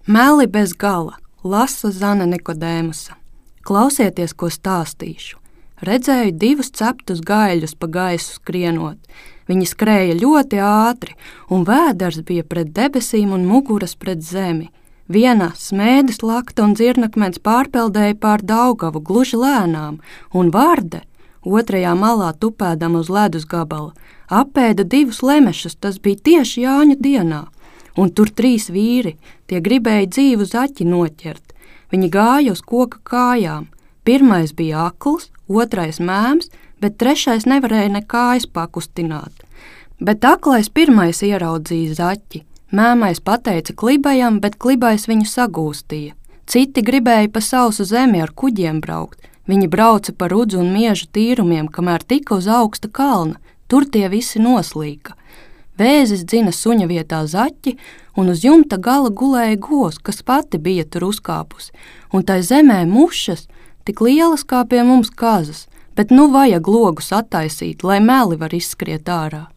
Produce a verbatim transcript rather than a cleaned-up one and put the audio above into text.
Meli bez gala, lasa Zana Nikodēmusa. Klausieties, ko stāstīšu. Redzēju divus ceptus gaļus pa gaisu skrienot. Viņi skrēja ļoti ātri, un vēders bija pret debesīm un muguras pret zemi. Viena smēdes lakta un dzirnakmens pārpeldēja pār Daugavu gluži lēnām, un Varde, otrajā malā tupēdam uz ledus gabala, apēda divus lemešus, tas bija tieši Jāņu dienā. Un tur trīs vīri, tie gribēja dzīvu zaķi noķert. Viņi gāja uz koka kājām. Pirmais bija akls, otrais mēms, bet trešais nevarēja ne kājas pakustināt. Bet aklais pirmais ieraudzīja zaķi. Mēmais pateica klibajam, bet klibais viņu sagūstīja. Citi gribēja pa sausu zemi ar kuģiem braukt. Viņi brauca pa rudzu un miežu tīrumiem, kamēr tika uz augsta kalna. Tur tie visi noslīka. Vēzis dzina suņa vietā zaķi, un uz jumta gala gulēja govs, kas pati bija tur uzkāpusi, un tai zemē mušas, tik lielas kā pie mums kazas, bet nu vajag logus attaisīt, lai meli var izskriet ārā.